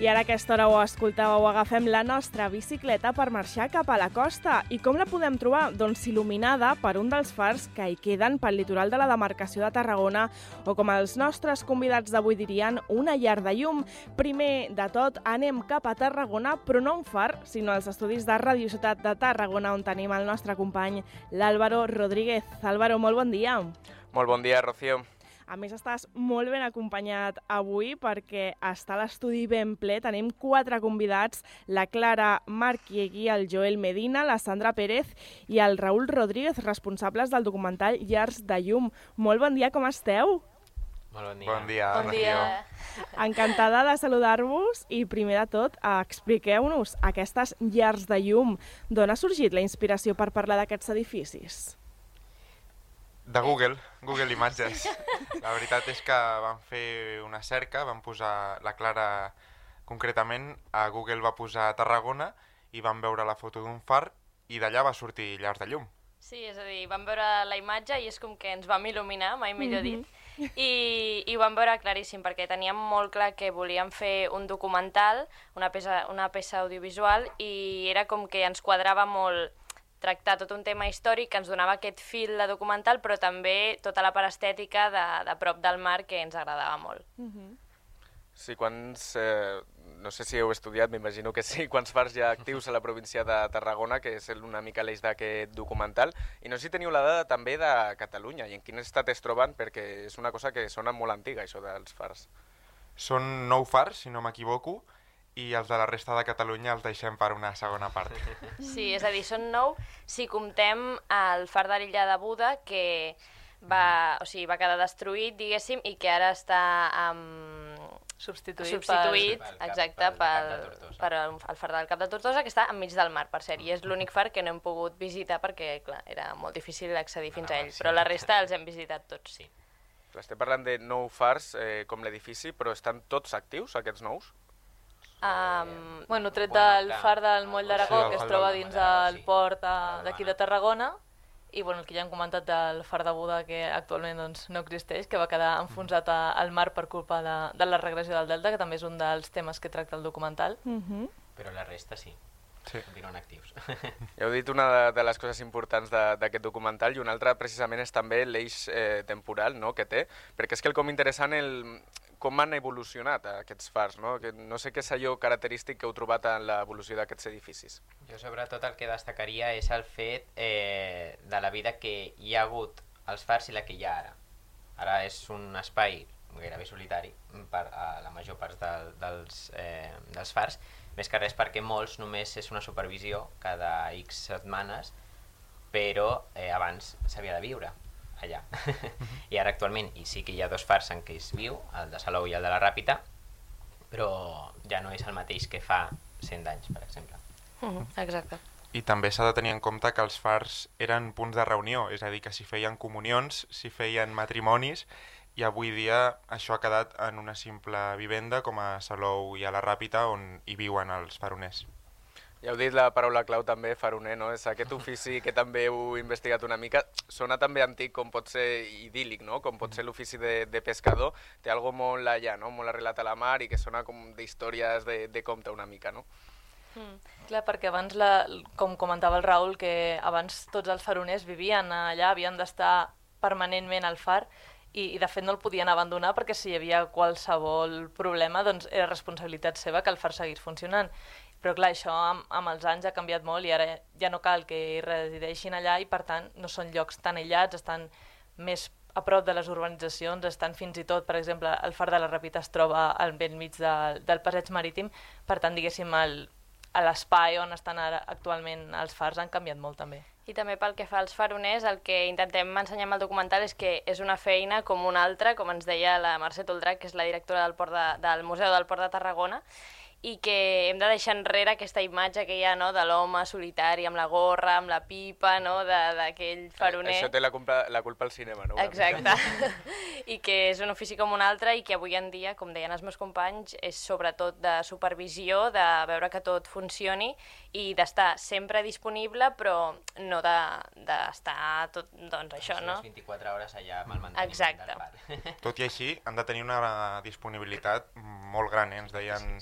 I ara a aquesta hora ho escoltàveu, agafem la nostra bicicleta per marxar cap a la costa. I com la podem trobar? Doncs il·luminada per un dels fars que hi queden pel litoral de la demarcació de Tarragona, o com els nostres convidats d'avui dirien, una llar de llum. Primer de tot, anem cap a Tarragona, però no un far, sinó als estudis de Radio Ciutat de Tarragona, on tenim el nostre company, l'Álvaro Rodríguez. Álvaro, molt bon dia. Molt bon dia, Rocío. A més, estàs molt ben acompanyat avui perquè està l'estudi ben ple. Tenim 4 convidats, la Clara Marquiegui, el Joel Medina, la Sandra Pérez i el Raül Rodríguez, responsables del documental Llars de Llum. Molt bon dia, com esteu? Molt bon dia. Bon dia. Bon dia. Encantada de saludar-vos i, primer de tot, expliqueu-nos aquestes llars de llum. D'on ha sorgit la inspiració per parlar d'aquests edificis? De Google Imatges. La veritat és que vam fer una cerca, vam posar la Clara concretament, a Google va posar Tarragona i vam veure la foto d'un far i d'allà va sortir Llars de Llum. Sí, és a dir, vam veure la imatge i és com que ens vam il·luminar, mai millor dit, i ho vam veure claríssim, perquè teníem molt clar que volíem fer un documental, una peça audiovisual, i era com que ens quadrava molt tractar tot un tema històric que ens donava aquest fil de documental, però també tota la part estètica de prop del mar que ens agradava molt. Sí, no sé si heu estudiat, m'imagino que sí, quants fars hi ha actius a la província de Tarragona, que és una mica l'eix d'aquest documental, i no sé si teniu la dada també de Catalunya i en quin estat es troben, perquè és una cosa que sona molt antiga, això dels fars. Són 9 fars, si no m'equivoco, i els de la resta de Catalunya els deixem per una segona part. Sí, és a dir, són 9 si comptem el far de l'illa de Buda, que va quedar destruït, diguéssim, i que ara està substituït exacte, per el far del Cap de Tortosa, que està enmig del mar, per cert, i és l'únic far que no hem pogut visitar perquè, clar, era molt difícil accedir fins a ell, però la resta els hem visitat tots. Sí. Estem parlant de 9 fars com l'edifici, però estan tots actius, aquests nous? Tret del far del Moll d'Aragó, que es troba dins del port d'aquí de Tarragona, i el que ja hem comentat del far de Buda, que actualment no existeix, que va quedar enfonsat al mar per culpa de la regressió del delta, que també és un dels temes que tracta el documental. Però la resta sí. Continuen actius. Ja heu dit una de les coses importants d'aquest documental, i una altra precisament és també l'eix temporal que té, perquè és que com interessant com han evolucionat aquests fars, no? No sé què és allò característic que heu trobat en l'evolució d'aquests edificis. Jo sobretot el que destacaria és el fet de la vida que hi ha hagut als fars i la que hi ha ara. Ara és un espai gairebé solitari per a la major part dels fars, més que res perquè molts només és una supervisió cada X setmanes, però abans s'havia de viure allà. I ara actualment sí que hi ha 2 fars en què es viu, el de Salou i el de la Ràpita, però ja no és el mateix que fa 100 anys, per exemple. Exacte. I també s'ha de tenir en compte que els fars eren punts de reunió, és a dir, que s'hi feien comunions, s'hi feien matrimonis, i avui dia això ha quedat en una simple vivenda com a Salou i a la Ràpita, on hi viuen els faroners. Ja heu dit la paraula clau també, faroner, no? És aquest ofici que també heu investigat una mica. Sona també antic, com pot ser idíl·lic, no? Com pot ser l'ofici de pescador. Té algo molt allà, no? Molt arrelat a la mar i que sona com d'històries de conte una mica, no? Clar, perquè abans, com comentava el Raül, que abans tots els faroners vivien allà, havien d'estar permanentment al far, i de fet no el podien abandonar perquè si hi havia qualsevol problema doncs era responsabilitat seva que el far seguís funcionant. Però clar, això amb els anys ha canviat molt i ara ja no cal que hi resideixin allà i per tant no són llocs tan aïllats, estan més a prop de les urbanitzacions, estan fins i tot, per exemple, el far de la Ràpita es troba al vell mig del passeig marítim, per tant, diguéssim, l'espai on estan ara actualment els fars han canviat molt també. I també pel que fa als faroners, el que intentem ensenyar amb el documental és que és una feina com una altra, com ens deia la Mercè Toldrach, que és la directora del Museu del Port de Tarragona, i que hem de deixar enrere aquesta imatge que hi ha, no?, de l'home solitari amb la gorra, amb la pipa, no?, d'aquell faroner. Això té la culpa al cinema, no? Exacte. I que és un ofici com un altre i que avui en dia, com deien els meus companys, és sobretot de supervisió, de veure que tot funcioni i d'estar sempre disponible, però no d'estar tot, doncs això, no? Les 24 hores allà amb el manteniment del far. Tot i així, han de tenir una disponibilitat molt gran, ens deien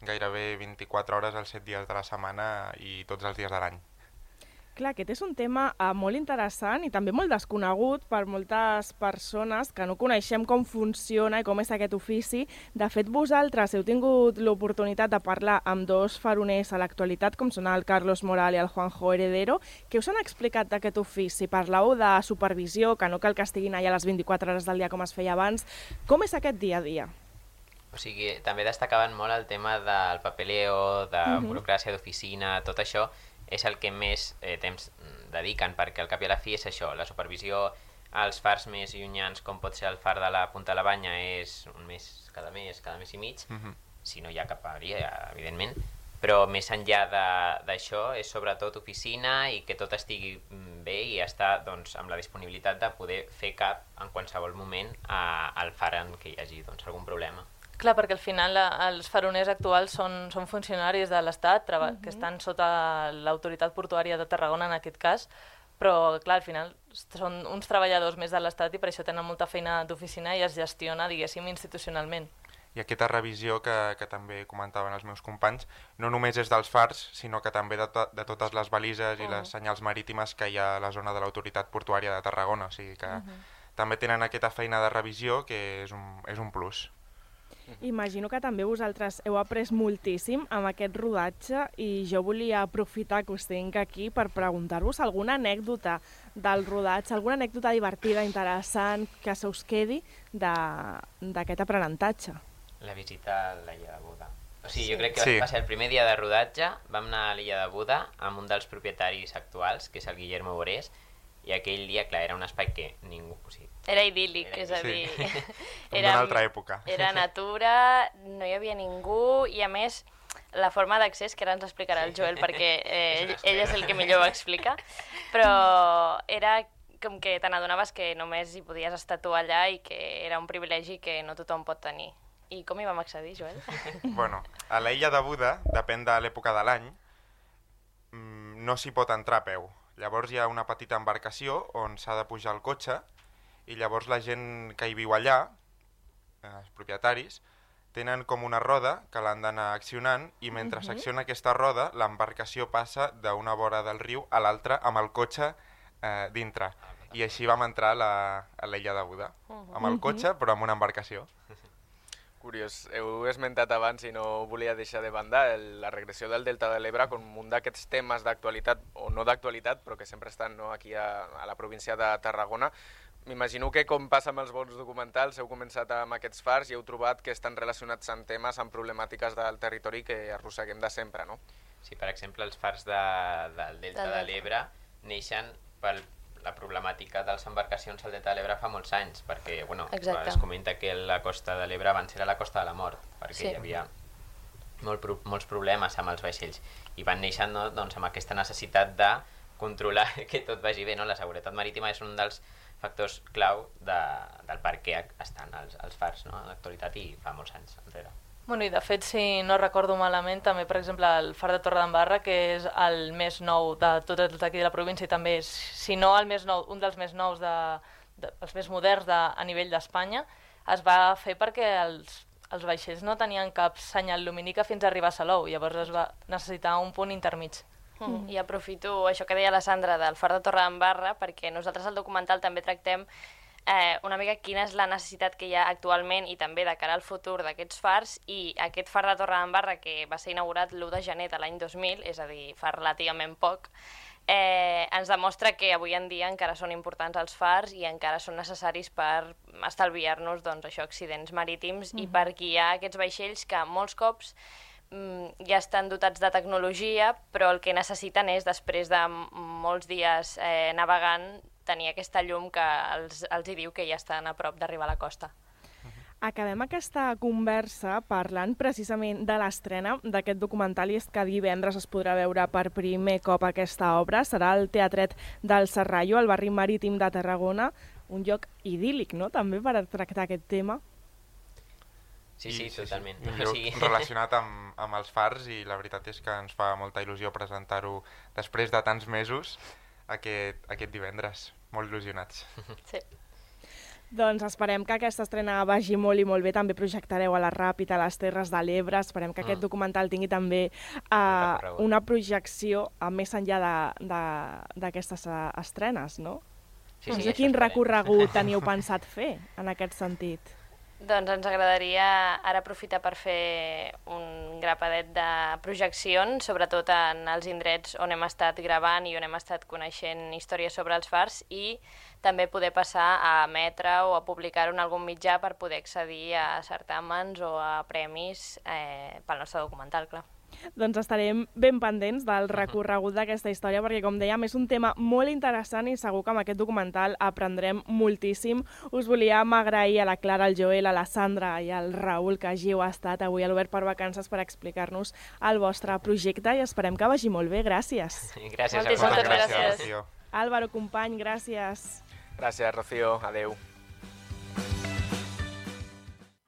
gairebé 24 hores els 7 dies de la setmana i tots els dies de l'any. Clar, aquest és un tema molt interessant i també molt desconegut per moltes persones que no coneixem com funciona i com és aquest ofici. De fet, vosaltres heu tingut l'oportunitat de parlar amb dos faroners a l'actualitat, com són el Carlos Moral i el Juanjo Heredero. Què us han explicat d'aquest ofici? Parleu de supervisió, que no cal que estiguin allà les 24 hores del dia com es feia abans. Com és aquest dia a dia? O sigui, també destacaven molt el tema del papeleo, de burocràcia d'oficina, tot això és el que més temps dediquen, perquè al cap i a la fi és això, la supervisió als fars més llunyans, com pot ser el far de la Punta de la Banya, és un mes cada mes i mig, si no hi ha cap avaria, evidentment, però més enllà d'això és sobretot oficina i que tot estigui bé i estar doncs, amb la disponibilitat de poder fer cap en qualsevol moment al far en què hi hagi doncs, algun problema. Clar, perquè al final els faroners actuals són funcionaris de l'Estat, que estan sota l'autoritat portuària de Tarragona en aquest cas, però clar, al final són uns treballadors més de l'Estat i per això tenen molta feina d'oficina i es gestiona, diguéssim, institucionalment. I aquesta revisió que també comentaven els meus companys, no només és dels fars, sinó que també de totes les balises i les senyals marítimes que hi ha a la zona de l'autoritat portuària de Tarragona, o sigui que també tenen aquesta feina de revisió que és un plus. Imagino que també vosaltres heu après moltíssim amb aquest rodatge i jo volia aprofitar que us tinc aquí per preguntar-vos alguna anècdota del rodatge, alguna anècdota divertida, interessant, que se us quedi d'aquest aprenentatge. La visita a l'illa de Buda. O sigui, jo crec que va ser el primer dia de rodatge, vam anar a l'illa de Buda amb un dels propietaris actuals, que és el Guillermo Borés, i aquell dia, clar, era un espai que ningú... O sigui, era idíl·lic, és a dir... Era d'una altra època. Era natura, no hi havia ningú, i a més, la forma d'accés, que ara ens explicarà el Joel, perquè ell és el que millor ho explica, però era com que te n'adonaves que només hi podies estar tu allà i que era un privilegi que no tothom pot tenir. I com hi vam accedir, Joel? Bueno, a la illa de Buda, depèn de l'època de l'any, no s'hi pot entrar a peu. Llavors hi ha una petita embarcació on s'ha de pujar el cotxe i llavors la gent que hi viu allà, els propietaris, tenen com una roda que l'han d'anar accionant i mentre s'acciona aquesta roda l'embarcació passa d'una vora del riu a l'altra amb el cotxe dintre. I així vam entrar a l'illa de Buda, amb el cotxe però amb una embarcació. Curiós, heu esmentat abans i no volia deixar de banda la regressió del Delta de l'Ebre com un d'aquests temes d'actualitat, o no d'actualitat, però que sempre estan aquí a la província de Tarragona. M'imagino que, com passa amb els bons documentals, heu començat amb aquests fars i heu trobat que estan relacionats amb temes, amb problemàtiques del territori que arrosseguem de sempre, no? Sí, per exemple, els fars del Delta de l'Ebre neixen per la problemàtica de les embarcacions al Delta de l'Ebre fa molts anys, perquè es comenta que la costa de l'Ebre abans era la costa de la mort, perquè hi havia molts problemes amb els vaixells, i van néixer amb aquesta necessitat de controlar que tot vagi bé. La seguretat marítima és un dels factors clau del per què estan els fars en l'actualitat i fa molts anys enrere. Bueno, i de fet, si no recordo malament, també, per exemple, el far de Torredembarra, que és el més nou de tots els d'aquí de la província i també és, si no el més nou, un dels més nous, els més moderns a nivell d'Espanya, es va fer perquè els vaixells no tenien cap senyal lumínica fins a arribar a Salou, llavors es va necessitar un punt intermig. I aprofito això que deia la Sandra del far de Torredembarra, perquè nosaltres al documental també tractem una mica quina és la necessitat que hi ha actualment i també de cara al futur d'aquests fars, i aquest far de Torredembarra, que va ser inaugurat l'1 de gener de l'any 2000, és a dir, fa relativament poc, ens demostra que avui en dia encara són importants els fars i encara són necessaris per estalviar-nos accidents marítims i per guiar aquests vaixells que molts cops ja estan dotats de tecnologia, però el que necessiten és, després de molts dies navegant, tenir aquesta llum que els hi diu que ja estan a prop d'arribar a la costa. Acabem aquesta conversa parlant precisament de l'estrena d'aquest documental, i és que divendres es podrà veure per primer cop aquesta obra. Serà al Teatret del Serrallo, al barri marítim de Tarragona, un lloc idíl·lic, no?, també per tractar aquest tema. Sí, totalment. Un lloc relacionat amb els fars, i la veritat és que ens fa molta il·lusió presentar-ho després de tants mesos aquest divendres. Molt il·lusionats. Sí. Doncs esperem que aquesta estrena vagi molt i molt bé. També projectareu a la Ràpita, a les Terres de l'Ebre. Esperem que aquest documental tingui també una projecció més enllà d'aquestes estrenes, no? Sí, No sé quin recorregut teniu pensat fer en aquest sentit. Doncs ens agradaria ara aprofitar per fer un grapadet de projeccions, sobretot en els indrets on hem estat gravant i on hem estat coneixent històries sobre els fars, i també poder passar a emetre o a publicar-ho en algun mitjà per poder accedir a certàmens o a premis pel nostre documental, clar. Doncs estarem ben pendents del recorregut d'aquesta història, perquè, com dèiem, és un tema molt interessant i segur que amb aquest documental aprendrem moltíssim. Us volíem agrair a la Clara, al Joel, a la Sandra i al Raül que hàgiu estat avui a l'Obert per Vacances per explicar-nos el vostre projecte i esperem que vagi molt bé. Gràcies. Gràcies a Moltes vosaltres. gràcies. Rocío. Álvaro, company, gràcies. Gràcies, Rocío. Adéu.